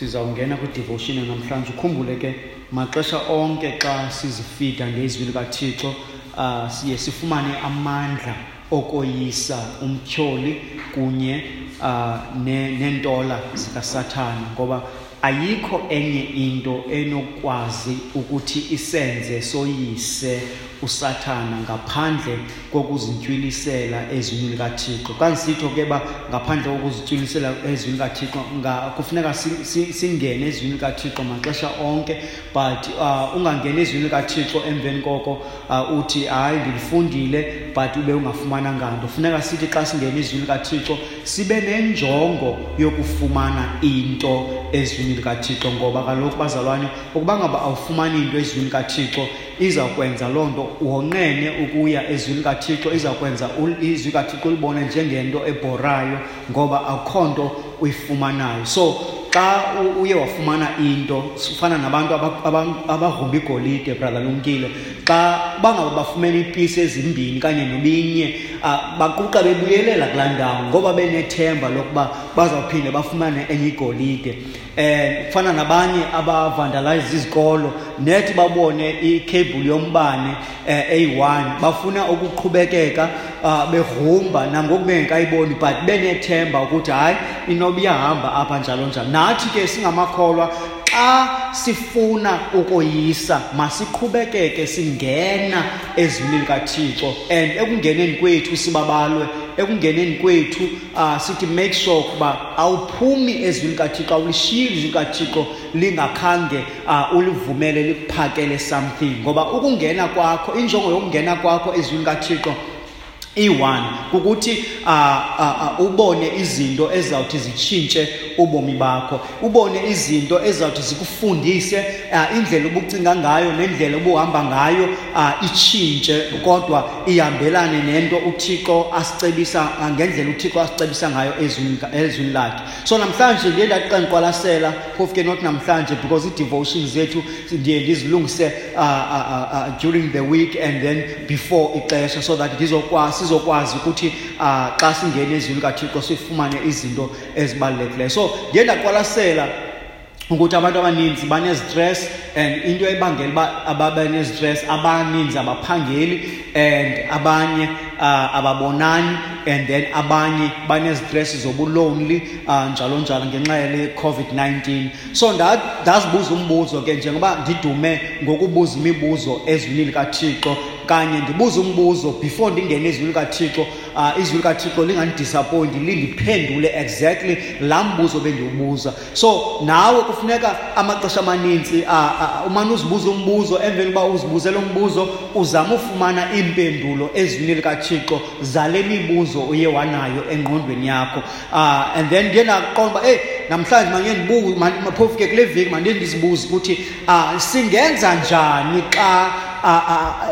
Sizawungena kwi-devotion namhlanje. Ukhumbule ke maxesha onke xa sizifida ngezwi likaThixo, siye sifumane amandla okoyisa umtyholi kunye neentola zikaSathana, ngoba ayikho enye into enokwazi ukuthi isenze soyise uSathana ngaphandle kokuzintywilisela ezwini likaThixo. Xa ndisitsho ke uba ngaphandle kokuzintywilisela ezwini likaThixo, kufuneka singene ezwini likaThixo maxesha onke, but ungangeni ezwini likaThixo emveni koko uthi hayi ndilifundile but ube ungafumananga nto. Funeka sithi xa singene ezwini likaThixo sibe nenjongo yokufumana into ezwini likaThixo, ngoba kaloku bazalwane, ukuba ngaba awufumani into ezwini likaThixo, izawukwenza loo nto wonqene ukuya ezwini likaThixo, izawukwenza izwi likaThixo ulibone njengento ebhorayo, ngoba akukho nto uyifumanayo. So xa uye wafumana into, ufana nabantu abagrumba igolide, brother Lumkile, xa bangaba bafumene iipisi ezimbini kanye nobinye, baquqa bebuyelela kulaa ndawo ngoba benethemba lokuba bazawuphinde bafumane enye igolide. Kufana nabanye abavandalize izikolo, nethi babone i-cable yombane eyi-1, bafuna ukuqhubekeka begrumba nangoku bengekayiboni, but benethemba ukuthi hayi inoba iyahamba apha njalo njalo. Nathi ke singamakholwa, xa sifuna ukoyisa masiqhubekeke singena ezwini likaThixo, and ekungeneni kwethu sibabalwe, ekungeneni kwethu sithi make sure ukuba awuphumi ezwini likaThixo, awulishiyi izwi likaThixo lingakhange ulivumele likuphakele something, ngoba ukungena kwakho, injongo yokungena kwakho ezwini likaThixo iyi-1 kukuthi ubone izinto ezizawuthi zitshintshe ubomi bakho, ubone izinto ezizawuthi zikufundise indlela obucinga ngayo nendlela obuhamba ngayo itshintshe, kodwa ihambelane nento uThixo asicebisa, ngendlela uThixo asicebisa ngayo ezwini lakhe. So namhlanje ndiye ndathi xa ndiqwalasela, phofu ke not namhlanje because ii-devotions zethu ndiye ndizilungise during the week and then before ixesha, so that sizokwazi ukuthi xa singena ezwini likaThixo sifumane izinto ezibalulekileyo. So ndiye ndaqwalasela ukuthi abantu abaninzi banezistress, and into ebangela uba ababe nezistress, abaninzi abaphangeli, and abanye ababonani, and then abanye banezistress zobulonely, njalo njalo ngenxa yale COVID-19. So ndazibuza umbuzo ke, njengoba ndidume ngokubuza imibuzo ezwini likaThixo, kanye ndibuza umbuzo before ndingene ezwini likaThixo, izwi likaThixo lingandidisappointi, lindiphendule exactly laa mbuzo bendiwubuza. So nawe kufuneka amaxesha amaninzi, umane uzibuza umbuzo, emveni uba uzibuze lo mbuzo uzame ufumana iimpendulo ezwini likaThixo zale mibuzo uye wanayo engqondweni yakho. And then ndiye ndaqonda uba, hey, namhlanje mandiye ndibuze, phofu ke kule veki mandiye ndizibuze ukuthi, singenza njani xa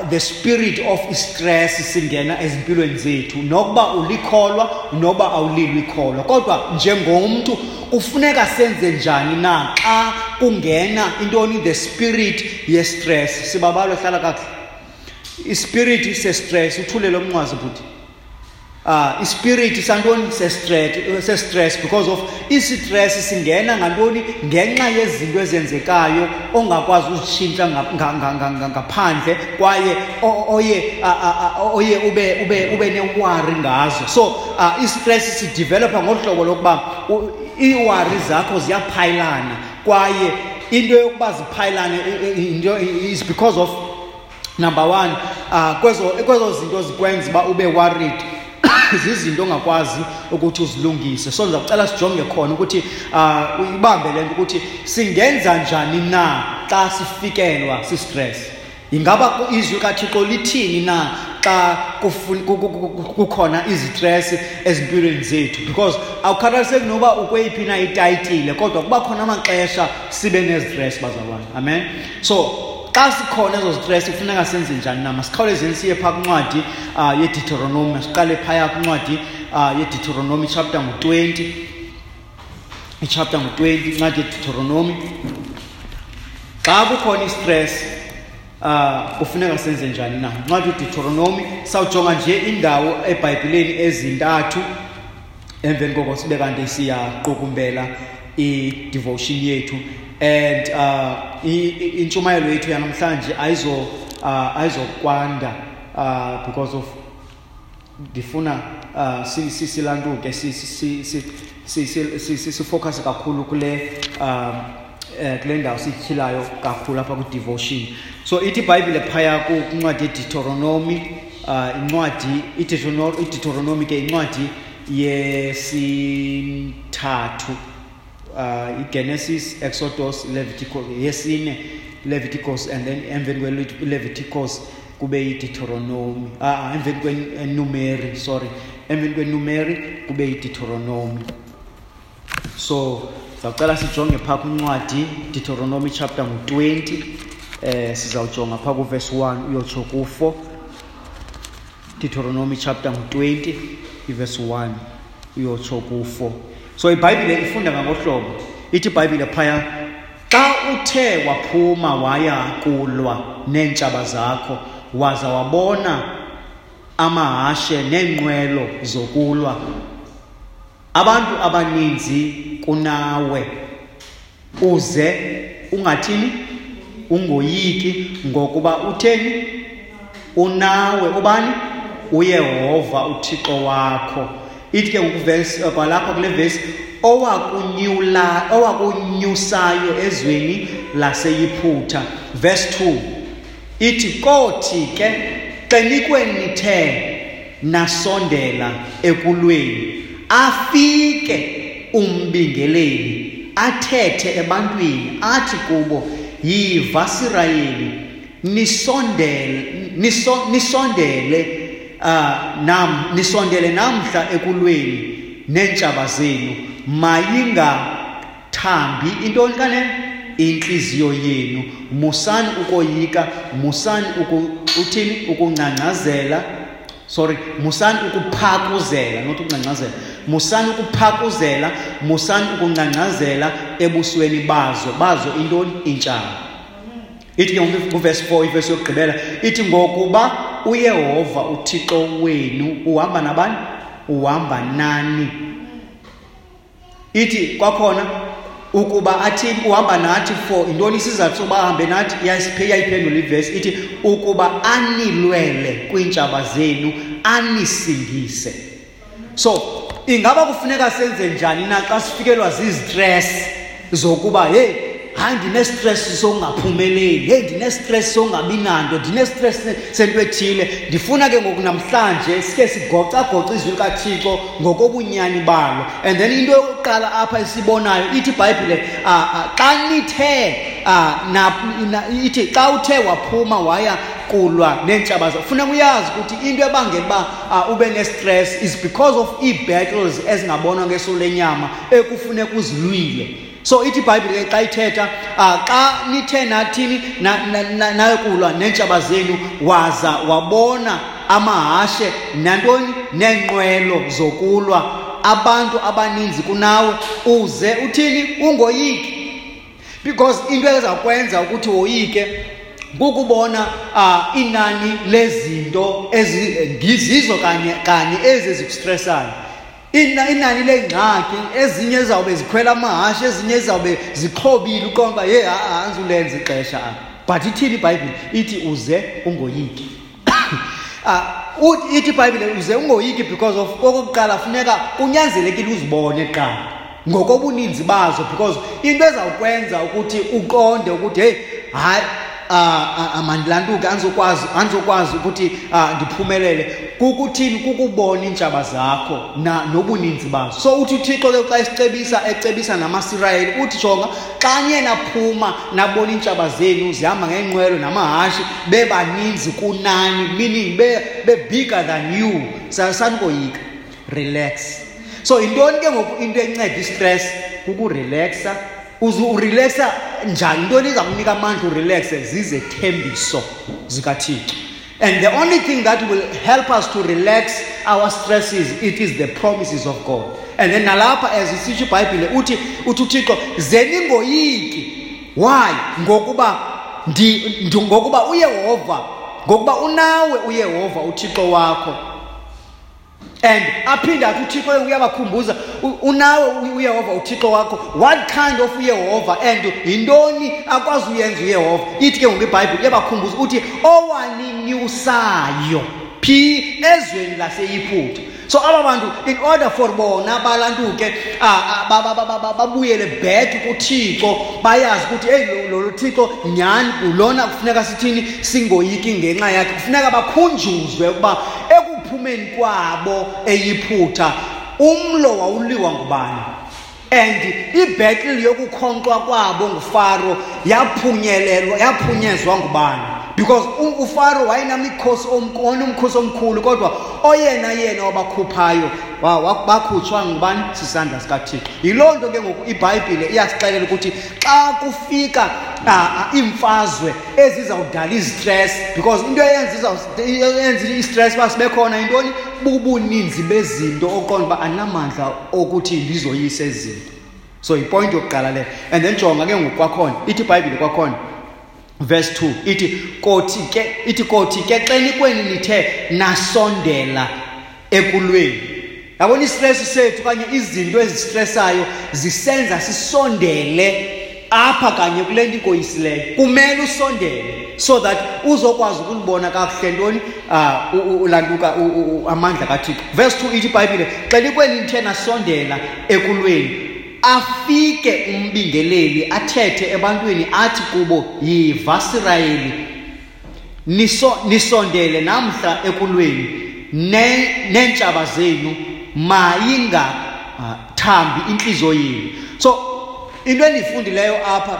the spirit of stress singena ezimpilweni zethu, nokuba ulikholwa noba awulilo ikholwa, kodwa njengomntu kufuneka senze njani na xa kungena intoni, the spirit ye-stress. Sibabalwe, hlala kakuhle. Ispirit se-stress, uthule lo mnqwazi bhuti. Ispirit santoni se-stress, because of i-stress singena ngantoni, ngenxa yezinto ezenzekayo ongakwazi uzitshintsha ngaphandle, kwaye oye ube ne-worry ngazo. So i-stress sidevelopa ngohlobo lokuba ii-worry zakho ziyaphayilana, kwaye into yokuba ziphayilane into is because of number one, kwezo zinto zikwenza uba ube worried, zizinto ongakwazi ukuthi uzilungise. So ndizakucela sijonge khona ukuthi uyibambe le nto ukuthi singenza njani na xa sifikelwa si-stress. Ingaba izwi likaThixo lithini na xa kukhona izistress ezimpilweni zethu? Because awukhathaliseki noba ukweyiphi na itayitile, kodwa kuba khona amaxesha sibe nezistress, bazalwane. Amen. So xa sikhona ezo stress kufuneka senze njani na? Masikhawulezeni siye phaa kwincwadi yeDeuteronomy. Masiqale phaya kwincwadi yeDeuteronomy chapter ngu-20. Ichapter ngu-20, incwadi yeDeuteronomy. Xa kukhona istress, kufuneka senze njani na? Incwadi yeDeuteronomy, sawujonga nje indawo eBhayibhileni ezintathu, emveni koko sibe kanti siyaqukumbela i-devotion yethu. And intshumayelo yethu yanamhlanje ayizokwanda because of ndifuna silantuke sifocus kakhulu kule kule ndawo sityhilayo kakhulu apha ku-devotion. So ithi iBhayibhile phaya kwincwadi yeDeuteronomy, incwadi iDeuteronomy ke incwadi yesithathu, iGenesis, Exodus, Leviticus, yesine Leviticus, and then emveni kwe-Leviticus kube yiDeuteronomy, emveni kweNumeri, sorry, emveni kweNumeri kube yiDeuteronomy. So sizawucela sijonge phaa kwincwadi Deuteronomy chapter 20, sizawujonga phaa kuverse 1 uyotsho ku-4. Deuteronomy chapter 20 iverse 1 uyotsho ku-4. So iBhayibhile ifunda ngangohlobo, ithi iBhayibhile phaya, xa uthe waphuma waya kulwa neentshaba zakho, waza wabona amahashe neenqwelo zokulwa, abantu abaninzi kunawe, uze ungathini? Ungoyiki, ngokuba utheni? Unawe ubani? uYehova uThixo wakho. Ithi ke ngoku kwalapha kule verse, owakunyusayo ezweni laseYiphutha. Verse 2 ithi, kothi ke xenikweni nithe nasondela ekulweni, afike umbingeleli athethe ebantwini, athi kubo, yiva Sirayeli, nisondele namhla ekulweni neentshaba zenu, mayingathambi intoni kanene intliziyo yenu, musani ukoyika, musani uthini ukungcangcazela, sorry, musani ukuphakuzela, not ukungcangcazela, musani ukuphakuzela, musani ukungcangcazela ebusweni bazo intoni intshaba. Ithi ke kuverse 4, iverse yokugqibela, ithi ngokuba uYehova uThixo wenu uhamba nabani? Uhamba nani. Ithi kwakhona ukuba athi uhamba nathi for intoni isizathu sokuba ahambe nathi? Iyayiphendula ivesi, ithi ukuba anilwele kwiintshaba zenu, anisingise. So ingaba kufuneka senze njani na xa sifikelwa zizistress zokuba hey, hayi ndine-stress sokungaphumeleli, hey ndine-stress sokungabi nanto, ndine-stress sento ethile. Ndifuna ke ngoku namhlanje sike sigocagoce izwi likaThixo ngokobunyani balo. And then into yokuqala apha esibonayo ithi iBhayibhile, xa nithe ithi xa uthe waphuma waya kulwa neentshaba zakho, funeka uyazi ukuthi into ebangela uba ube ne-stress is because of ii-battles ezingabonwa ngeso lenyama ekufuneka uzilwile. So ithi iBhayibhile xa ithetha, xa nithe nathini nayokulwa neentshaba zenu, waza wabona amahashe nantoni neenqwelo zokulwa, abantu abaninzi kunawe, uze uthini? Ungoyiki. Because into ezakwenza ukuthi woyike kukubona inani lezinto ezizizo kanye ezi ezikustressayo. Inani leengxaki, ezinye ezawube zikhwela amahashe, ezinye ezawube zixhobile, uqonda uba hey, andizulenza ixesha apha. But ithini iBhayibhile? Ithi uze ungoyiki. Ithi iBhayibhile uze ungoyiki because of okokuqala funeka kunyanzelekile uzibone kuqala ngokobuninzi bazo, because into ezawukwenza ukuthi uqonde ukuthi hey, hayi mandilantuke, andizokwazi ukuthi ndiphumelele, kukuthini? Kukubona iintshaba zakho nobuninzi bazo. So uthi uThixo ke xa esicebisa, ecebisa namaSirayeli, uthi jonga, xa niye naphuma nabona iintshaba zenu zihamba ngeenqwelo namahashi, bebaninzi kunani, meaning be bigger than you, sanikoyika, relax. So yintoni ke ngoku into enceda istress? Kukurelaxa. Uze urelaxa njani? Intoni iza kunika amandla urelaxe? Zizethembiso zikaThixo. And the only thing that will help us to relax our stresses, it is the promises of God. And then nalapha as isitsho iBhayibhile, uthi uThixo, ze ningoyiki. Why? Ngokuba ngokuba uYehova, ngokuba unawe uYehova uThixo wakho. And aphinde athi uThixo uyabakhumbuza, unawe uYehova uThixo wakho. What kind of uYehova and yintoni akwazi uyenza uYehova? Ithi ke ngoku iBhayibhile iyabakhumbuza uthi owaninyusayo phi ezweni laseYiphutha. So aba bantu in order for bona balantuke babuyele back kuThixo, bayazi ukuthi hey lo Thixo nyhani lona kufuneka sithini, singoyiki ngenxa yakhe. Kufuneka bakhunjuzwe ukuba ekuphumeni kwabo eYiphutha umlo wawuliwa ngubani, and ibattle yokukhonkxwa kwabo nguFaro yaphunyezwa ngubani, because uFaro wayenamikhosi omkhosi omkhulu, kodwa oyena yena wabakhuphayo bakhutshwa ngubani? Sisandla sikaThixo. Yiloo nto ke ngoku iBhayibhile iyasixelela ukuthi xa kufika iimfazwe ezizawudala izistress, because into eyenza istress uba sibe khona yintoni? Bubuninzi bezinto oqonda uba anamandla okuthi ndizoyise ezi zinto. So yipoint yokuqala leyo. And then jonga ke ngoku kwakhona, ithi iBhayibhile kwakhona verse 2 ithi kothi ke xenikweni nithe nasondela ekulweni. Yabona istress sethu okanye izinto ezistressayo zisenza sisondele apha kanye kule nto ikoyisileyo. Kumele usondele so that uzokwazi ukulibona kakuhle ntoni ulantuka amandla kaThixo. Verse 2 ithi iBhayibhile xenikweni nithe nasondela ekulweni, afike umbingeleli athethe ebantwini athi kubo, yiva Sirayeli, nisondele namhla ekulweni neentshaba zenu, mayingathambi intliziyo yenu. So into endiyifundileyo apha,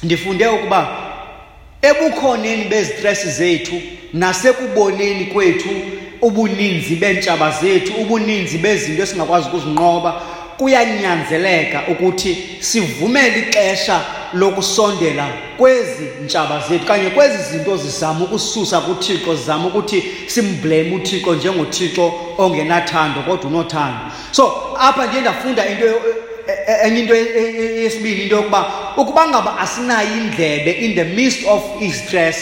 ndifunde ukuba ebukhoneni bezistress zethu nasekuboneni kwethu ubuninzi beentshaba zethu, ubuninzi bezinto esingakwazi ukuzinqoba, kuyanyanzeleka ukuthi sivumele ixesha lokusondela kwezi ntshaba zethu kanye kwezi zinto zizama ukususa kuThixo, zizama ukuthi simblame uThixo njengoThixo ongenathando kodwa unothando. So apha ndiye ndafunda into enye into yesibini, into yokuba ukuba ngaba asinayo indlebe in the midst of i-stress,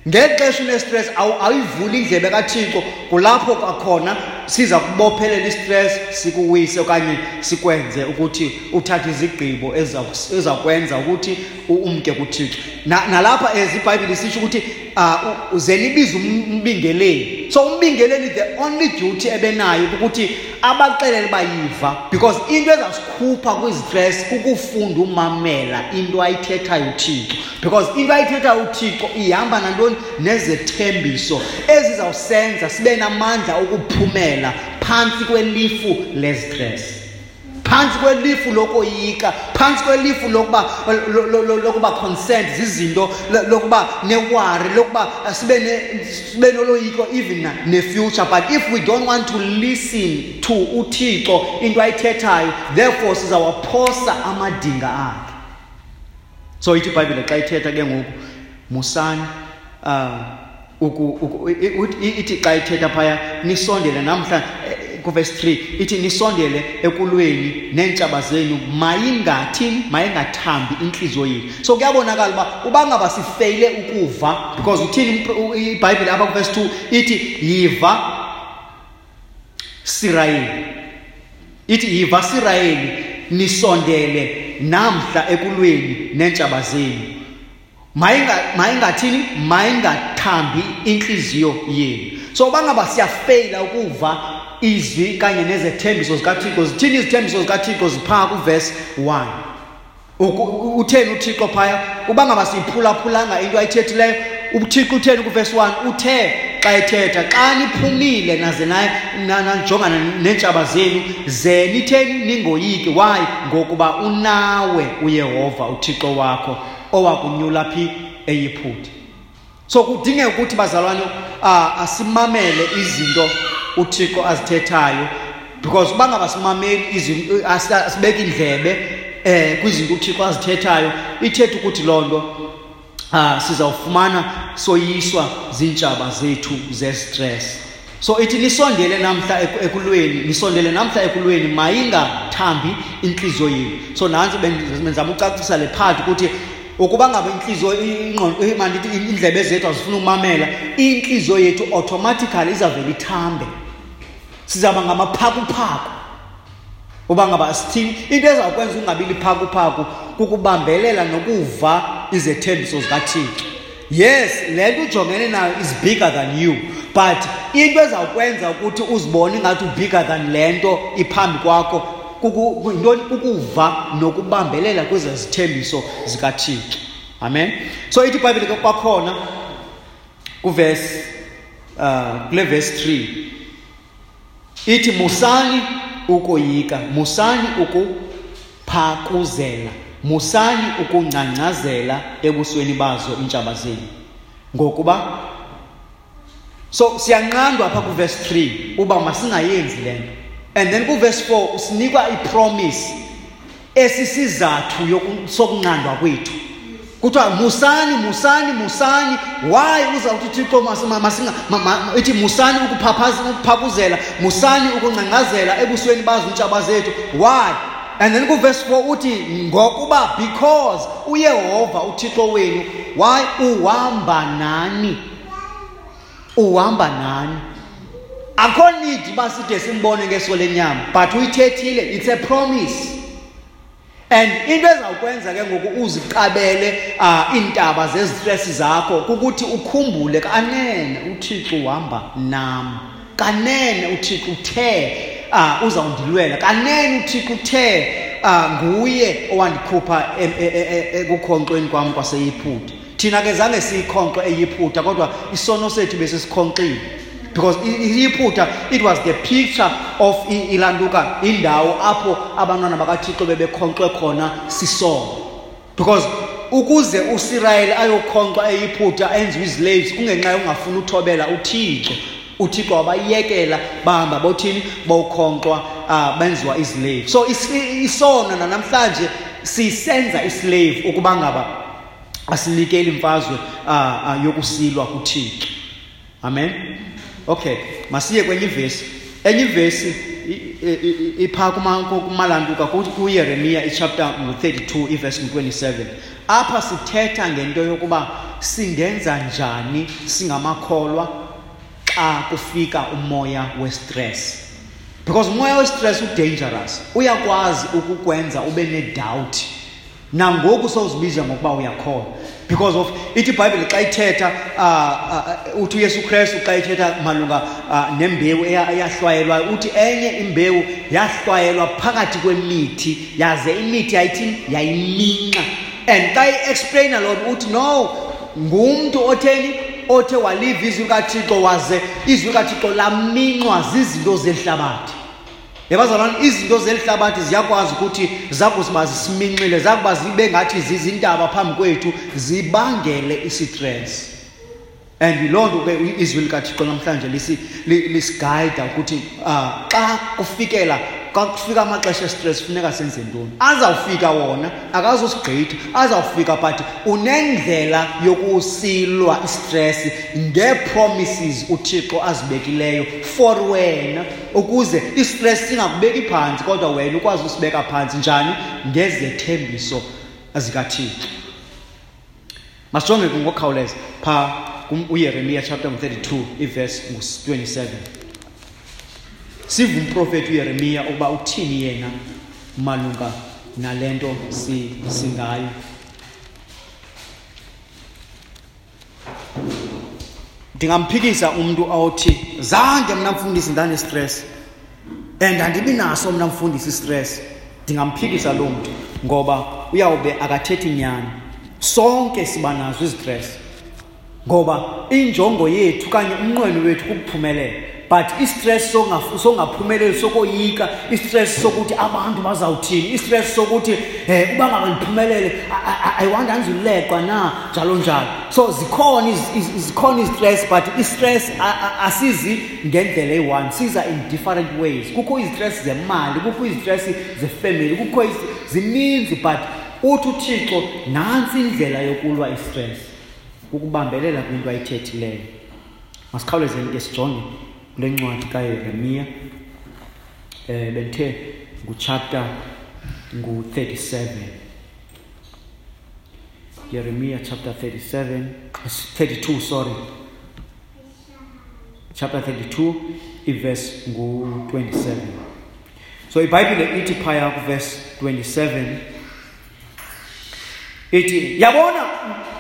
ngexesha une-stress awuyivuli indlebe kaThixo, kulapho kwakhona siza kubophelela i-stress sikuwise okanye sikwenze ukuthi uthathe izigqibo ezakwenza ukuthi umke kuThixo. Nalapha as iBhayibhile isitsho ukuthi uze nibize umbingeleli. So umbingeleli the only duty ebenayo ukuthi abaxelele bayiva, because into ezasikhupha kwizistress kukufunda umamela into ayithethayo uThixo, because into ayithethayo uThixo ihamba nantoni? Nezethembiso ezizawusenza sibe namandla okuphumela phantsi kwelifu lezistress, phantsi kwelifu lokoyika, phantsi kwelifu lokuba concerned zizinto, lokuba neworry, lokuba sibe noloyiko even ne-future. But if we don't want to listen to uThixo into ayithethayo, therefore sizawaphosa amadinga akhe. So ithi iBhayibhile xa ithetha ke ngoku, musani ithi xa ithetha phaya nisondele namhla kuverse 3 ithi nisondele ekulweni neentshaba zenu, mayingathini? Mayingathambi intliziyo yenu. So kuyabonakala uba uba ngaba sifeyile ukuva, because uthini iBhayibhile apha kuverse 2 ithi yiva Sirayeli, ithi yiva Sirayeli, nisondele namhla ekulweni neentshaba zenu, mayingathini? Mayingathambi intliziyo yenu. So uba ngaba siyafeyila ukuva izwi kanye nezethembiso zikaThixo, zithini izithembiso zikaThixo? Ziphaa kuverse 1. Utheni uThixo phaya? Uba ngaba siyiphulaphulanga into ayithethileyo, uThixo utheni kuverse 1? Uthe xa ethetha, xa niphumile naze najongana neentshaba zenu, ze nitheni? Ningoyiki. Why? Ngokuba unawe uYehova uThixo wakho owakunyula phi? eYiphutha. So kudingeka ukuthi bazalwane asimamele izinto uThixo azithethayo, because uba ngaba simameli izinto, asibeke indlebe kwizinto uThixo azithethayo, ithetha ukuthi loo nto sizawufumana soyiswa ziintshaba zethu ze-stress. So ithi nisondele namhla ekulweni, nisondele namhla ekulweni, mayingathambi intliziyo yenu. So nantsi benzama ucacisa le part ukuthi ukuba ngaba intliziyo, ingqondo, mandithi iindlebe zethu azifuni ukumamela, intliziyo yethu automatically izawuvela ithambe. Sizawuba ngamaphakuphaku. Uba ngaba sithini, into ezawukwenza ungabi liphakuphaku kukubambelela nokuva izethembiso zikaThixo. Yes, le nto ujongene nayo is bigger than you, but into ezawukwenza ukuthi uzibone ingathi ubigger than le nto iphambi kwakho kukuva nokubambelela kwezi zithembiso zikaThixo. Amen. So ithi iBhayibhile ke kwakhona kuverse kule verse 3 ithi musani ukoyika, musani ukuphakuzela, musani ukungcangcazela ebusweni bazo iintshaba zenu. Ngokuba so siyanqandwa apha kuverse 3 uba masingayenzi le nto. And then kuverse 4 usinikwa ipromise esisizathu sokunqandwa kwethu. Kuthiwa musani, musani, musani. Why uzawuthi uThixo ithi musani ukuphakuzela, musani ukungcangcazela ebusweni bazo iintshaba zethu? Why? And then kuverse 4 uthi ngokuba, because uYehova uThixo wenu, why, uhamba nani. Uhamba nani. Akho need uba side simbone ngeso lenyama, but uyithethile, it's a promise. And into ezawukwenza ke ngoku uziqabele iintaba zezistress zakho kukuthi ukhumbule kanene uThixo uhamba nam, kanene uThixo uthe uzawundilwela, kanene uThixo uthe nguye owandikhupha ekukhonkxweni kwam kwaseYiphutha. Thina ke zange siyikhonkxe eYiphutha, kodwa isono sethu besisikhonkxile. Because iYiphutha, it was the picture of ilantuka, indawo apho abantwana bakaThixo bebekhonkxwe khona sisono. Because ukuze uSirayeli ayokhonkxwa eYiphutha enziwe izislaves kungenxa yokungafuni uthobela uThixo. uThixo wabayekela bahamba bothini, bokhonkxwa, benziwa izislaves. So isono namhlanje sisenza islave ukuba ngaba asinikeli imfazwe yokusilwa kuThixo. Amen. Okay, masiye kwenye ivesi. Enye ivesi ipha kumalantuka kuYeremiya ichapter 32 iverse 27. Apha sithetha ngento yokuba singenza njani singamakholwa xa kufika umoya westress. Because umoya westress udangerous. Uyakwazi ukukwenza ube nedoubt. Nangoku sowuzibiza ngokuba uyakholwa. Because of ithi iBhayibhile xa ithetha uthi uYesu Kristu xa ithetha malunga nembewu eyahlwayelwa, uthi enye imbewu yahlwayelwa phakathi kwemithi, yaze imithi yayithini, yayiminxa. And xa i-explainer loo nto uthi no, ngumntu otheni othe waliva izwi likaThixo, waze izwi likaThixo laminxwa zizinto zehlabathi. Yabazalwane, izinto zelihlabathi ziyakwazi ukuthi zakuziba zisiminxile, zakuba zibe ngathi zizintaba phambi kwethu, zibangele isistress. And yiloo nto ke izwi likaThixo namhlanje lisigayida ukuthi xa kufikela, xa kufika amaxesha estress funeka senze ntoni. Azawufika wona, akazosigqitha, azawufika, but unendlela yokusilwa istress ngee-promises uThixo azibekileyo for wena, ukuze istress singakubeki phantsi, kodwa wena ukwazi usibeka phantsi. Njani? Ngezethembiso zikaThixo. Masijonge ke ngokukhawuleza pha uYeremiya chapter 32 iverse 27. Siva umprofeti uYeremiya ukuba uthini yena malunga nale nto singayo. Ndingamphikisa umntu awuthi zange mna mfundisi ndanestress and andibi naso mna mfundisi istress. Ndingamphikisa loo mntu ngoba uyawube akathethi nyani. Sonke siba nazo izistress ngoba injongo yethu okanye umnqweno wethu kukuphumelela. But istress songaphumeleli, sokoyika, istress sokuthi abantu bazawuthini, istress sokuthi uba ngaba ndiphumelele, I want andizuleqwa na, njalo njalo. So zikhona izistress, but istress asizi ngendlela eyi-one, siza in different ways. Kukho izistress zemali, kukho izistress zefamily, kukho zininzi, but uthi uThixo nantsi indlela yokulwa istress, ukubambelela kwinto ayithethileyo. Masikhawulezeni ke sijonge kule ncwadi kaYeremiya, bendithe nguchapter ngu-37. Yeremiya chapter 32, sorry. Chapter 32 iverse ngu-27. So iBhayibhile ithi phaya kuverse 27 ithi, yabona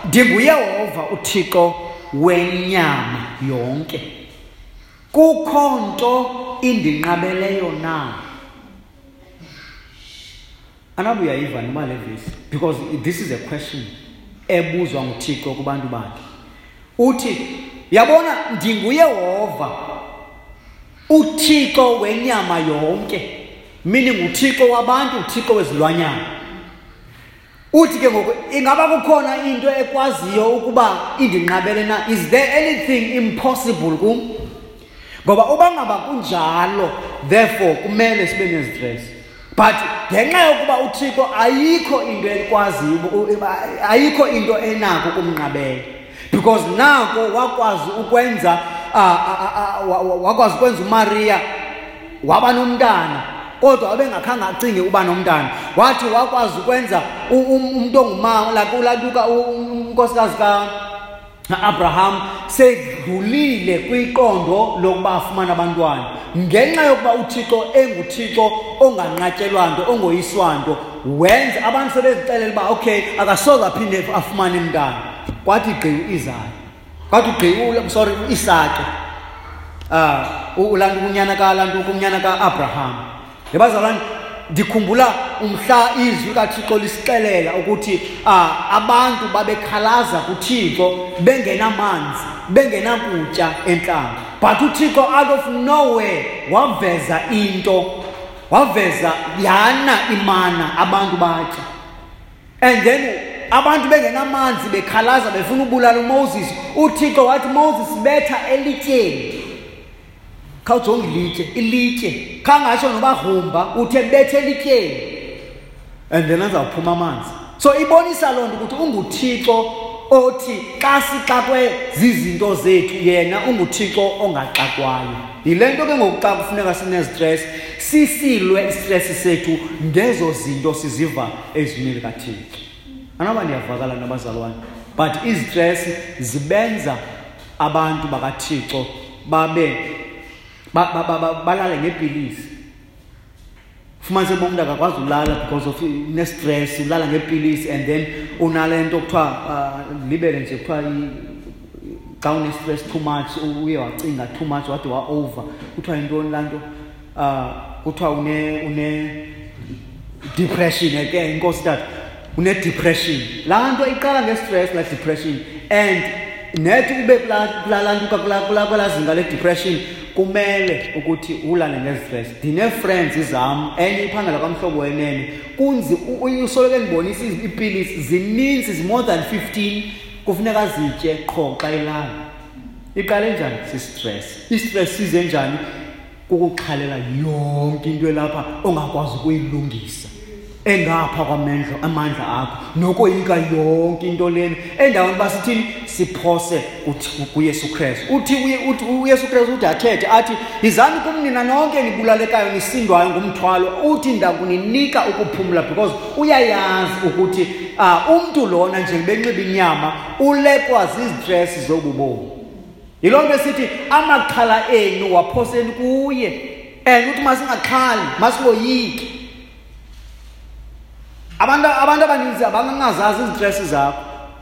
ndinguYehova uThixo wenyama yonke, kukho nto indinqabeleyo na? Anabe uyayiva noma le verse, because this is a question ebuzwa nguThixo kubantu bakhe. Uthi, yabona ndinguYehova uThixo wenyama yonke, meaning uThixo wabantu, uThixo wezilwanyana. Uthi ke ngoku, ingaba kukhona into ekwaziyo ukuba indinqabele na? Is there anything impossible kum? Ngoba uba ngaba kunjalo, therefore kumele sibe nezistress. But ngenxa yokuba uThixo ayikho into ekwaziyo, ayikho into enako kumnqabela. Because nako wakwazi ukwenza wakwazi ukwenza uMaria waba nomntana, kodwa wabengakhange acinge uba nomntana. Wathi wakwazi ukwenza umuntu ongumama, like unkosikazi ka-Abraham sedlulile kwiqondo lokuba afumane abantwana. Ngenxa yokuba uThixo enguThixo onganqatyelwa nto, ongoyiswa nto, wenza abantu sebezixelela uba okay, akasoze aphinde afumane mntana. Kwathi gqi uIsaka, kwathi gqi sorry uIsake, ulantu unyana kalantu unyana kaAbraham. Yabazalwane, ndikhumbula umhla izwi kaThixo lisixelela ukuthi abantu babekhalaza kuThixo bengenamanzi, bengenakutya entlango. But uThixo out of nowhere waveza into, waveza yana imana, abantu batya. And then abantu bengenamanzi bekhalaza befuna ubulala uMoses. uThixo wathi, Moses, betha elityeni. Khawujonge ilitye, ilitye. Khangatsho noba grumba, uthe bethe elityeni. And then azawuphuma amanzi. So ibonisa loo nto ukuthi unguThixo othi xa sixakwe zizinto zethu, yena unguThixo ongaxakwayo. Yile nto ke ngoku xa kufuneka sinezistress, sisilwe istress sethu ngezo zinto siziva ezwini likaThixo. Anoba ndiyavakala nabazalwane, but izistress zibenza abantu bakaThixo babe balale ngeepilisi. Fumanise uba umntu akakwazi ulala because of ne-stress, ulala ngeepilisi, and then unale nto kuthiwa libele nje kuthiwa xa une-stress too much, uye wacinga too much, wade wa-over. Kuthiwa yintoni laa nto? Kuthiwa une depression ke, inkosi tata, une-depression. Laa nto iqala nge-stress, laa depression, and nethi ube kulaa nto, kulaa zinga le-depression, kumele ukuthi ulale nge-stress. Ndinee-friends zam, enye iphangela kwamhlobo wenene, kunzi usoloko endibonisa iipilisi zininzi, zi-more than 15, kufuneka zitye qho xa ilala. Iqale njani? Si-stress. I-stress size njani? Kukuxhalela yonke into elapha ongakwazi ukuyilungisa, engapha kwamandla amandla akho, nokoyika yonke into lena. Endaweni uba sithini? Siphose kuYesu Kristu. Uthi uYesu Kristu uthi athethe athi, yizani kum nina nonke nibulalekayo nisindwayo ngumthwalo, uthi ndakuninika ukuphumla, because uyayazi ukuthi umntu lona nje benxiba inyama ulekwa zizistress zobubomi. Yiloo nto esithi amaxhala enu waphoseni kuye, and uthi masingaxhali, masingoyiki. Abantu abaninzi abangazazi izistress zakho,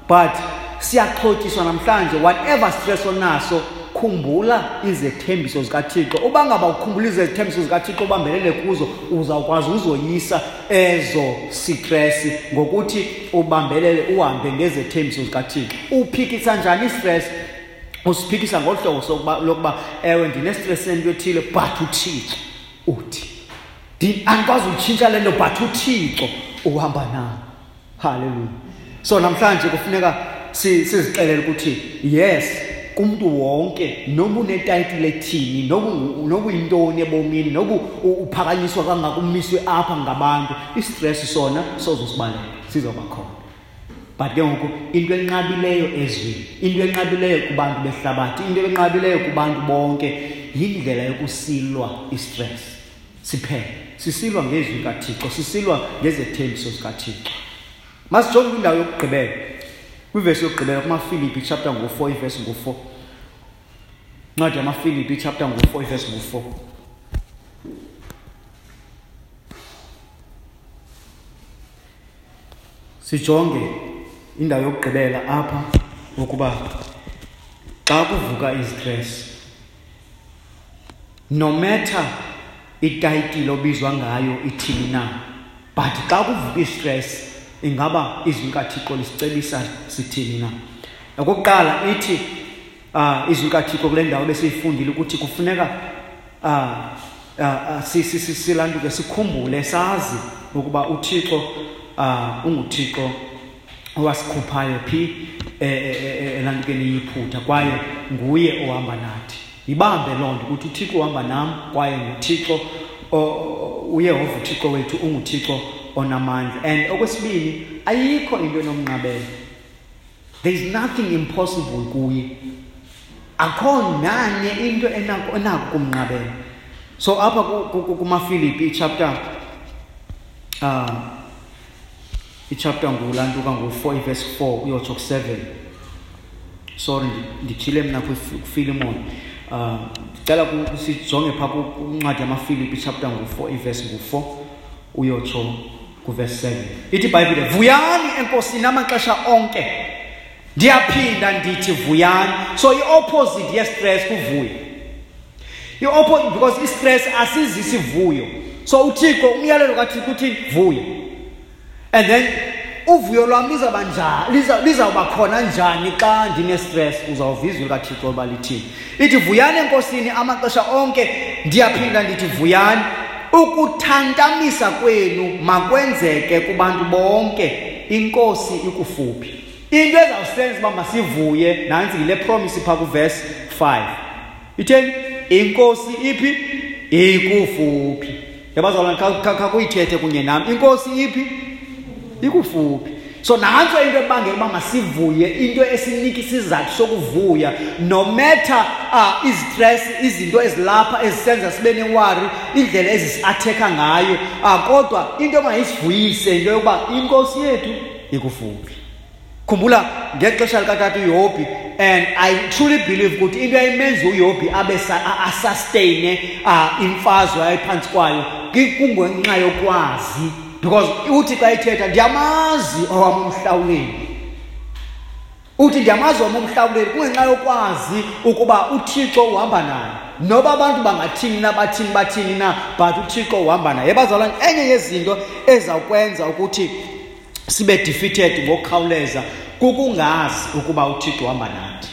but siyaxhotyiswa namhlanje. Whatever stress onaso, khumbula izethembiso zikaThixo. Uba ngaba ukhumbula izethembiso zikaThixo ubambelele kuzo, uzawukwazi uzoyisa ezo stress ngokuthi ubambelele, uhambe ngezethembiso zikaThixo. Uphikisa njani istress? Usiphikisa ngolu hlobo lokuba ewe ndine-stress sento ethile, but uThixo uthi andikwazi utshintsha le nto, but uThixo uhamba nam. Hallelujah. So namhlanje kufuneka sizixelele ukuthi yes, kumntu wonke, noba unetayitile ethini, noba uyintoni ebomini, noba uphakanyiswa kangaka, umiswe apha ngabantu, istress sona sozosibaleka, sizoba khona. But ke ngoku into enqabileyo ezweni, into enqabileyo kubantu behlabathi, into enqabileyo kubantu bonke, yindlela yokusilwa istress. Siphele sisilwa ngezwi kaThixo, sisilwa ngezethembiso zikaThixo. Masijonge kwindawo yokugqibela, kwivesi yokugqibela kumaFilipi chapter ngo-4, ivesi ngo-4. Incwadi yamaFilipi chapter ngu-4 ivesi ngu-4. Sijonge indawo yokugqibela apha ukuba xa kuvuka izitress, no matter itayitile obizwa ngayo ithini na, but xa kuvuka istress ingaba izwi likaThixo lisicebisa sithini na. Okokuqala ithi izwi likaThixo kule ndawo besiyifundile ukuthi kufuneka silanduke sikhumbule sazi ukuba uThixo unguThixo owasikhuphayo phi elantukeni yiphutha, kwaye nguye ohamba nathi. Ibambe loo nto ukuthi uThixo uhamba nam, kwaye nguThixo uYehova uThixo wethu unguThixo onamandla. And okwesibini, ayikho into enomnqabela. There is nothing impossible kuye. Akho nanye into enako kumnqabela. So apha kumaFilipi ichapter ichapter ngulantuka ngu-4 verse 4 uyotsho ku-7. Sorry, ndityhile mna kuFilimon. Ndicela sijonge phaa kwincwadi yamaFilipi ichapter ngu-4 ivesi ngu-4 uyotsho kuverse 7. Ithi iBhayibhile, vuyani eNkosini amaxesha onke. Ndiyaphinda ndithi vuyani. So i-opposite ye-stress kuvuya. I-opposite, because i-stress asizisi vuyo. So uThixo, umyalelo kaThixo uthi vuya. And then uvuyo lwam lizawuba njani, lizawuba khona njani xa ndine-stress? Uzawuva izwi likaThixo uba lithini. Ithi vuyani eNkosini amaxesha onke, ndiyaphinda ndithi vuyani. Ukuthantamisa kwenu makwenzeke kubantu bonke, iNkosi ikufuphi. Into ezawusenza uba masivuye nantsi yile promise phaa kuverse 5. Itheni? INkosi iphi? Ikufuphi. Yabazalwane, khakuyithethe kunye nam. INkosi iphi? Ikufuphi. So nantso into ebangela uba masivuye, into esinika isizathu sokuvuya, no matter izistress, izinto ezilapha ezisenza sibe newari, indlela ezisiathekha ngayo, kodwa into mayisivuyise into yokuba iNkosi yethu ikufuphi. Khumbula ngexesha likatata uYobhi, and I truly believe ukuthi into ayimenza uYobhi abe asustaine imfazwe ayiphantsi kwayo kungenxa yokwazi. Because uthi xa ethetha, ndiyamazi owam umhlawuleli. Uthi ndiyamazi owam umhlawuleli kungenxa yokwazi ukuba uThixo uhamba naye. Noba abantu bangathini na, bathini bathini na, but uThixo uhamba naye. Bazalwane, enye yezinto ezawukwenza ukuthi sibe defeated ngokukhawuleza kukungazi ukuba uThixo uhamba nathi.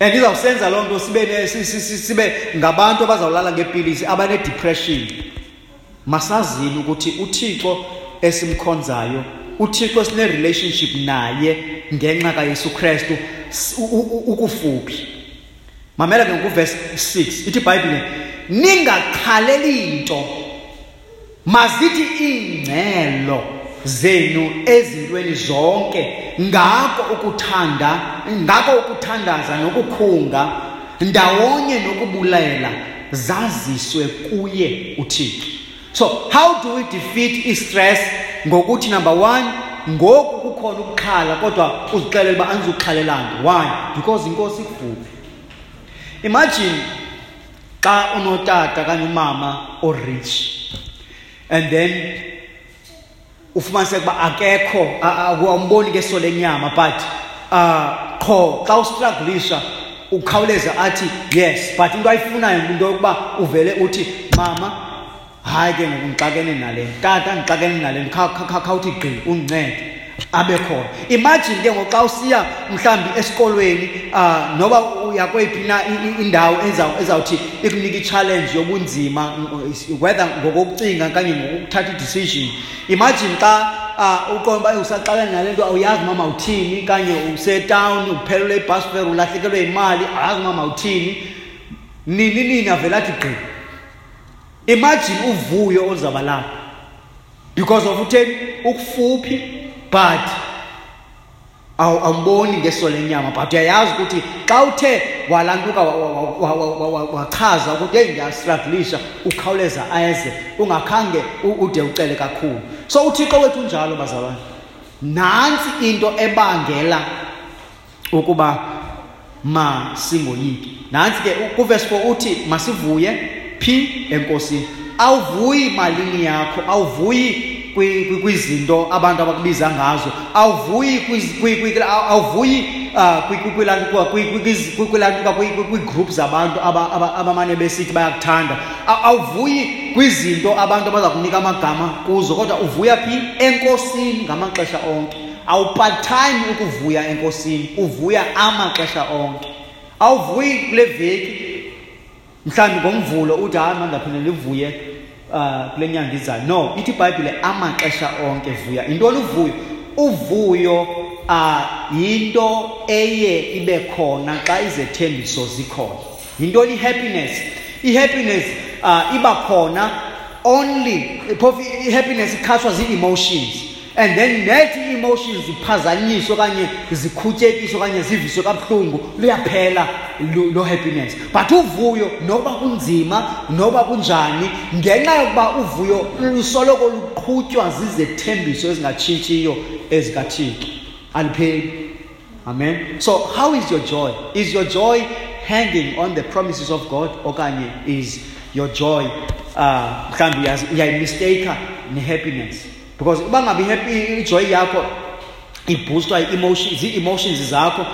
And izawusenza loo nto sibe ngabantu abazawulala ngeepilisi, abane-depression. Masazini ukuthi uThixo esimkhonzayo, uThixo esine-relationship naye ngenxa kaYesu Kristu ukufuphi. Mamela ke ngoku verse 6, ithi iBhayibhile, ningaxhaleli nto, mazithi iingcelo zenu ezintweni zonke, ngako ukuthandaza nokukhunga ndawonye nokubulela zaziswe kuye uThixo. So how do we defeat i-stress? Ngokuthi number 1, ngoku kukhona ukuxhala, kodwa uzixelele uba andizuxhalela nto. Why? Because iNkosi ikufuphi. Imagine xa unotata okanye umama o-rich, and then ufumaniseke uba akekho, awumboni ngeso lenyama, but qho xa ustrugglisha ukhawuleza athi yes, but into ayifunayo into yokuba uvele uthi mama, hayi ke ngoku ndixakene nale, tata ndixakene nale, khawuthi gqi undincede, abe khona. Imagine ke ngoku xa usiya mhlawumbi esikolweni, noba uya kweyiphi na indawo ezawuthi ikunike i-challenge yobunzima, whether ngokokucinga okanye ngokuthatha i-decision. Imagine xa uqonda uba usaxakene nale nto, awuyazi mama uthini, okanye usetown, uphelelwe ibus fare, ulahlekelwe yimali, awuyazi mama uthini, nini nini, avele athi gqi. Imagine uvuyo oluzawuba lapho because of utheni ukufuphi, but awumboni ngeso lenyama, but uyayazi ukuthi xa uthe walantuka wachaza ukuthi hey ndiyastrugglisha, ukhawuleza eze ungakhange ude ucele kakhulu. So uThixo wethu unjalo bazalwane. Nantsi into ebangela ukuba Masingoyiki. Nantsi ke kuverse 4 uthi masivuye phi? Enkosini. Awuvuyi malini yakho, awuvuyi kwizinto abantu abakubiza ngazo, awuvuyi kwii-group zabantu abamane besithi bayakuthanda, awuvuyi kwizinto abantu abaza kunika amagama kuzo, kodwa uvuya phi? Enkosini ngamaxesha onke. Awupart-time ukuvuya enkosini, uvuya amaxesha onke. Awuvuyi kule veki, mhlawumbi ngomvulo uthi hayi mandaphinde ndivuye kule nyanga izayo. No, ithi iBhayibhile amaxesha onke vuya. Yintoni uvuyo? Uvuyo yinto eye ibe khona xa izethembiso zikhona. Yintoni i-happiness? I-happiness iba khona only, phofu i-happiness ikhatshwa zii-emotions. And then nethi ii-emotions ziphazanyiswe okanye zikhutyekiswe okanye ziviswe kabuhlungu, luyaphela lo happiness. But uvuyo noba kunzima noba kunjani, ngenxa yokuba uvuyo lusoloko luqhutywa zizethembiso ezingatshintshiyo ezikaThixo, alipheli. Amen. So how is your joy? Is your joy hanging on the promises of God, okanye is your joy mhlawumbi uyayimistake ne-happiness? Because uba ngabe ijoy yakho ibhoostwa zii-emotions zakho,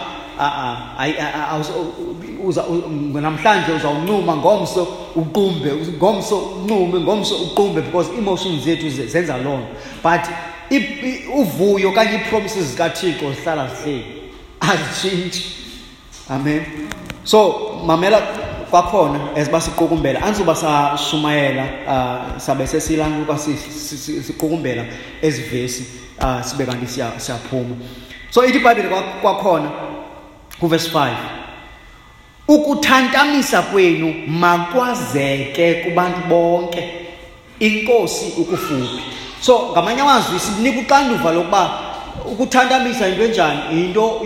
namhlanje uzawuncuma, ngomso uqumbe, ngomso uncume, ngomso uqumbe, because emotions zethu zenza loo nto. But uvuyo okanye ii-promises zikaThixo zihlala zihleli, azitshintshi. Amen. So mamela kwakhona as basiqukumbela, andizuba sashumayela, sabe sesilantuka siqukumbela ezi vesi, sibe kanti siyaphuma. So ithi iBhayibhile kwakhona kuverse 5, ukuthantamisa kwenu makwazeke kubantu bonke, inkosi ukufuphi. So ngamanye amazwi sinika uxanduva lokuba ukuthantamisa into enjani, into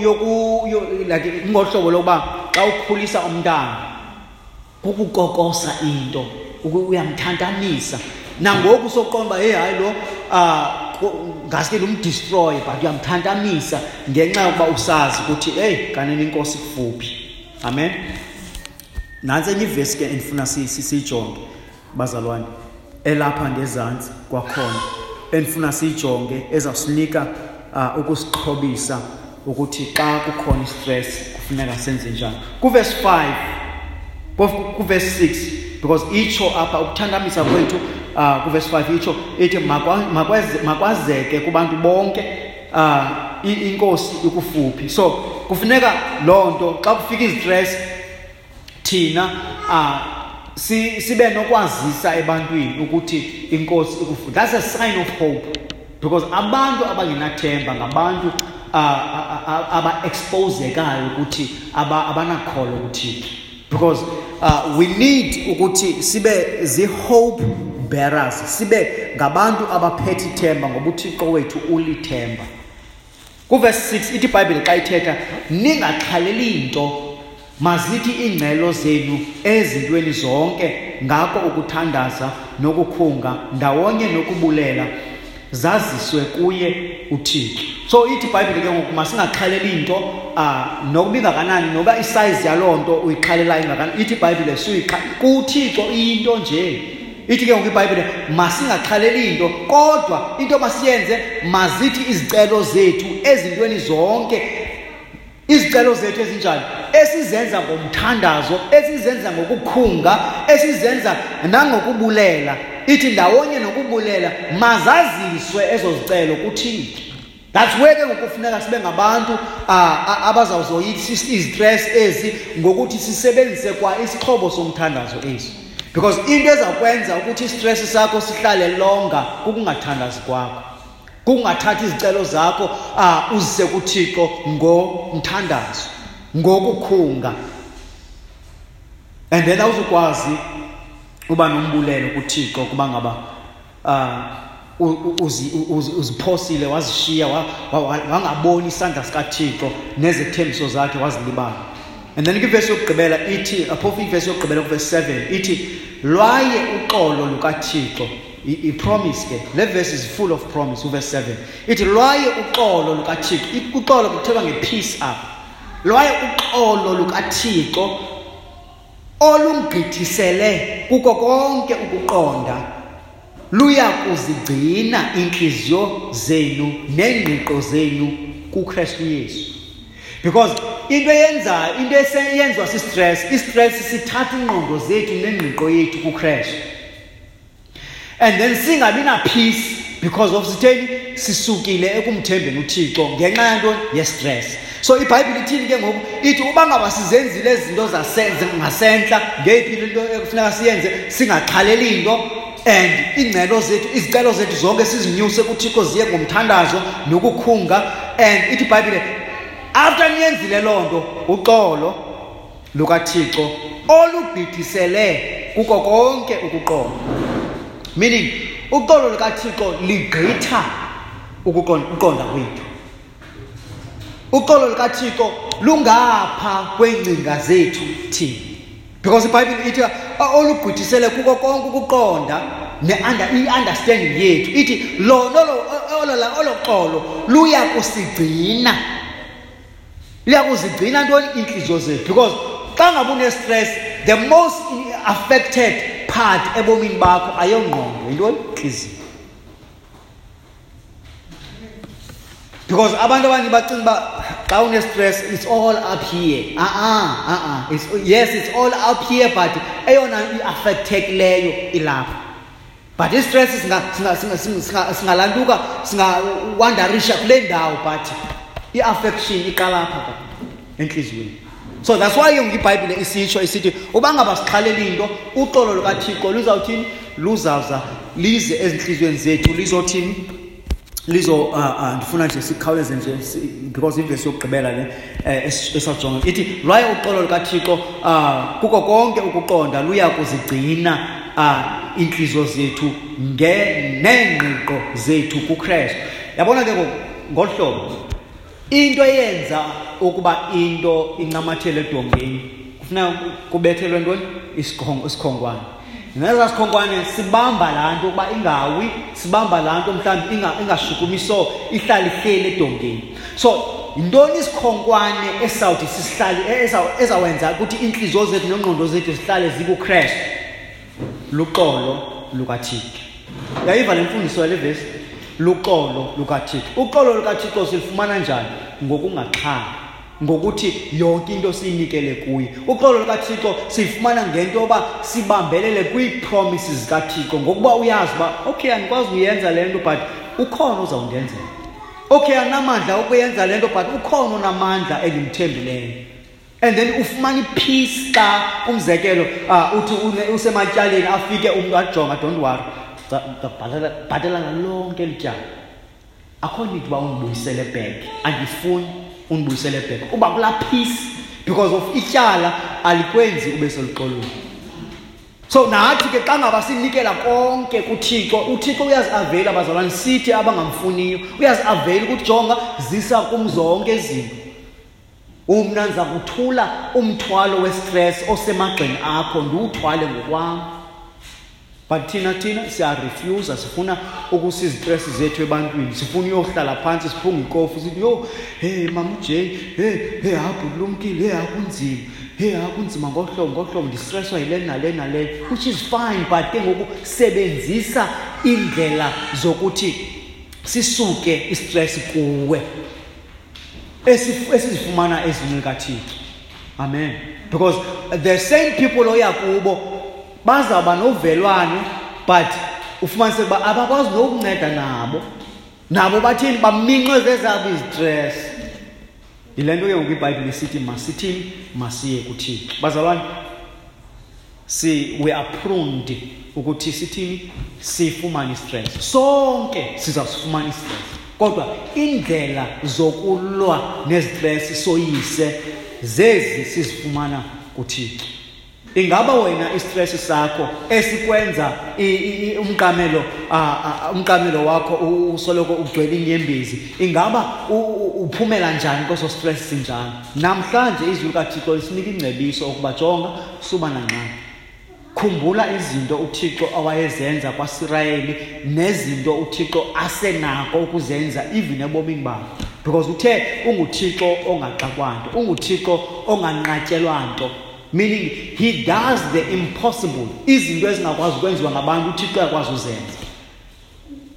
like ngohlobo lokuba xa ukhulisa umntana kukukokosa into, uyamthantamisa. Nangoku soqonda uba, hey, hayi lo, ngaske lumdestroy, but uyamthantamisa ngenxa yokuba usazi ukuthi, hey, kanene inkosi kufuphi. Amen. Nantsi enye ivesi ke endifuna siyijonge, bazalwane, elapha ngezantsi kwakhona, endifuna siyijonge ezawusinika ukusixhobisa ukuthi xa kukhona istress kufuneka senze njani. Kuverse 5, kuverse 6, because itsho apha ukuthantamisa kwethu, kuverse 5 itsho ithi makwazeke kubantu bonke, inkosi ikufuphi. So kufuneka loo nto xa kufika izistress thina sibe nokwazisa ebantwini ukuthi inkosi ikufuphi. That's a sign of hope, because abantu abangenathemba ngabantu aba-exposekayo ukuthi abanakholo kuThixo. Because we need ukuthi sibe zi-hope bearers, sibe ngabantu abaphethe ithemba, ngoba uThixo wethu ulithemba. Kuverse 6 ithi iBhayibhile xa ithetha, ningaxhaleli nto, mazithi iingcelo zenu ezintweni zonke, ngako ukuthandaza nokukhunga ndawonye nokubulela zaziswe kuye uThixo. So ithi iBhayibhile ke ngoku masingaxhaleli nto, nokuba ingakanani, noba isize yaloo nto uyixhalelayo ingakanani, ithi iBhayibhile kuThixo into nje. Ithi ke ngoku iBhayibhile masingaxhaleli nto, kodwa into masiyenze, mazithi izicelo zethu ezintweni zonke, izicelo zethu ezinjani, esizenza ngomthandazo, esizenza ngokukhunga, esizenza nangokubulela, ithi ndawonye nokubulela mazaziswe ezo zicelo kuThixo. That's where ke ngoku kufuneka sibe ngabantu abazawuzoyisa izistress ezi ngokuthi sisebenzise kwa isixhobo somthandazo esi. Because into ezawukwenza ukuthi istress sakho sihlale longa kukungathandazi kwakho, kukungathathi izicelo zakho uzise kuThixo ngomthandazo, ngokukhunga. And then awuzukwazi uba nombulelo kuThixo kuba ngaba uziphosile, wazishiya, wangaboni isandla sikaThixo nezethembiso zakhe, wazilibala. And then kwivesi yokugqibela ithi, phofu ivesi yokugqibela kuvesi 7 ithi, lwaye uxolo lukaThixo. I-promise ke, le verse is full of promise. Uverse 7 ithi lwaye uxolo lukaThixo. Uxolo kuthethwa nge-peace apha. Lwaye uxolo lukaThixo olungqithisele kuko konke ukuqonda luya kuzigcina iintliziyo zenu neengqiqo zenu kuKristu Yesu. Because into eyenziwa si-stress, i-stress sithatha ingqondo zethu nengqiqo yethu kuKristu. And then singabi na peace because of sitheni sisukile ekumthembeni uThixo ngenxa yantoni ye-stress. So iBhayibhile ithini ke ngoku? Ithi uba ngaba sizenzile izinto ngasentla, ngeyiphi into ekufuneka siyenze, singaxhaleli into, and iingcelo zethu, izicelo zethu zonke sizinyuse kuThixo ziye ngomthandazo nokukhunga. And ithi iBhayibhile after niyenzile loo nto, uxolo lukaThixo olugqithisele kuko konke ukuqonda. Meaning uxolo lukaThixo ligqitha ukuqonda kwethu. Uxolo lukaThixo lungapha kweengcinga zethu thina. Because iBhayibhile ithi olugqithisele kuko konke ukuqonda ne-understanding yethu. Ithi lona olo xolo luya kusigcina. Luya kuzigcina ntoni iintliziyo zethu. Because xa ngabe une-stress, the most affected part ebomini bakho ayongqondo, yintoni? Intliziyo. Because abantu abanye bacinga uba xa une-stress it's all up here. Yes, it's all up here, but eyona i-affectekileyo ilapha. But i-stress singalantuka, singawandarisha kule ndawo, but i-affection iqala apha entliziyweni. So that's why iBhayibhile isitsho isithi uba ngaba sixhalela into, uxolo lukaThixo luzawuthini? Luzawuza lize ezintliziyweni zethu, lizothini? Lizo ndifuna nje sikhawuleze nje because ivesi yokugqibela le esajonga ithi lwaye uxolo lukaThixo kuko konke ukuqonda luya kuzigcina iintliziyo zethu neengqiqo zethu kuKristu. Yabona ke ngolu hlobo, into eyenza ukuba into incamathele edongeni kufuneka kubethelwe ntoni? Isikhonkwane. Neza sikhonkwane sibamba laa nto ukuba ingawi, sibamba laa nto mhlawumbi ingashukumiso, ihlale ihleli edongeni. So yintoni isikhonkwane esawuthi sisihlale, ezawenza ukuthi iintliziyo zethu neengqondo zethu zihlale zikuKristu? Luxolo lukaThixo. Uyayiva le mfundiso yale vesi? Luxolo lukaThixo. Uxolo lukaThixo silufumana njani? Ngokungaxhali, ngokuthi yonke into siyinikele kuye. Uxolo lukaThixo siyifumana ngento yoba sibambelele kwii-promises zikaThixo, ngokuba uyazi uba okay, andikwazi uyenza le nto but ukhona uzawundenzela. Okay, andinamandla okuyenza le nto but ukhona onamandla endimthembileyo. And then ufumana i-peace xa umzekelo uthi usematyaleni afike umntu ajonga, don't worry, bhatala lonke eli tyala. Akho need uba undibuyisele back, andifuni undibuyisele back. Uba kulaa peace because of ityala alikwenzi ube seluxolweni. So nathi ke xa ngaba sinikela konke kuThixo, uThixo uyaziavela bazalwane, sithi abangamfuniyo, uyaziavela ukuthi jonga zisa kum zonke izinto. Umna ndiza kuthula umthwalo we-stress osemagxeni akho, ndiwuthwale ngokwam. But thina siyarefusa, sifuna ukusa izitress zethu ebantwini, sifuna uyohlala phantsi siphunge ikofu sithi yho, hey mama uJay, hey habhu kulumkile, hey akunzima, hey akunzima ngohlobo ndistresswa yile nale nale, which is fine, but ke ngoku sebenzisa iindlela zokuthi sisuke istress kuwe esizifumana ezwini likaThixo. Amen. Because the same people oya kubo bazawuba novelwano, but ufumanise ukuba abakwazi nokunceda nabo. Nabo bathini? Baminxwe zezabo izitress. Yile nto ke ngoku iBhayibhile isithi masithini? Masiye kuThixo. Bazalwane, we are pruned ukuthi sithini? Sifumane istress. Sonke sizawusifumana istress. Kodwa indlela zokulwa nezitress soyise zezi sizifumana kuThixo. Ingaba wena istress sakho esikwenza umqamelo wakho usoloko ugcwele inyembezi, ingaba uphumela njani kweso stress sinjani? Namhlanje izwi likaThixo lisinika ingcebiso ukuba jonga, suba nangxaki. Khumbula izinto uThixo awayezenza kwaSirayeli nezinto uThixo asenako ukuzenza even ebomini bakho. Because uthe unguThixo ongaxakwa nto, unguThixo onganqatyelwa nto. Meaning he does the impossible. Izinto ezingakwazi ukwenziwa ngabantu uThixo uyakwazi uzenza.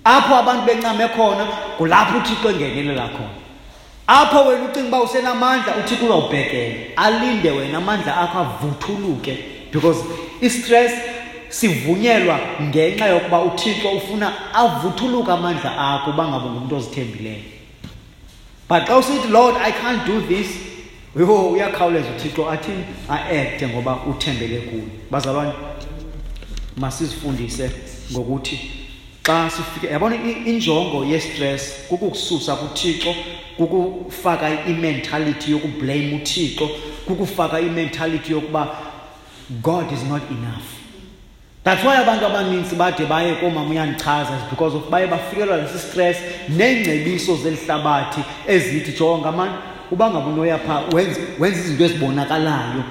Apho abantu bencame khona kulapho uThixo engenelela khona. Apho wena ucinga uba usenamandla, uThixo uzawubhekela alinde wena amandla akho avuthuluke, because i-stress sivunyelwa ngenxa yokuba uThixo ufuna avuthuluke amandla akho uba ngabe ngumntu ozithembileyo. But xa usithi, Lord, I can't do this, yho, uyakhawuleza uThixo athi a-acte ngoba uthembele kuye. Bazalwane, masizifundise ngokuthi xa sifike, yabona injongo ye-stress kukukususa kuThixo, kukufaka i-mentality yokublame uThixo, kukufaka i-mentality yokuba God is not enough. That's why abantu abaninzi bade baye koomama uyandichaza, is because of baye bafikelwa lesi stress neengcebiso zelihlabathi ezithi jonga mani, uba ngaba unoya phaa wenze izinto ezibonakalayo,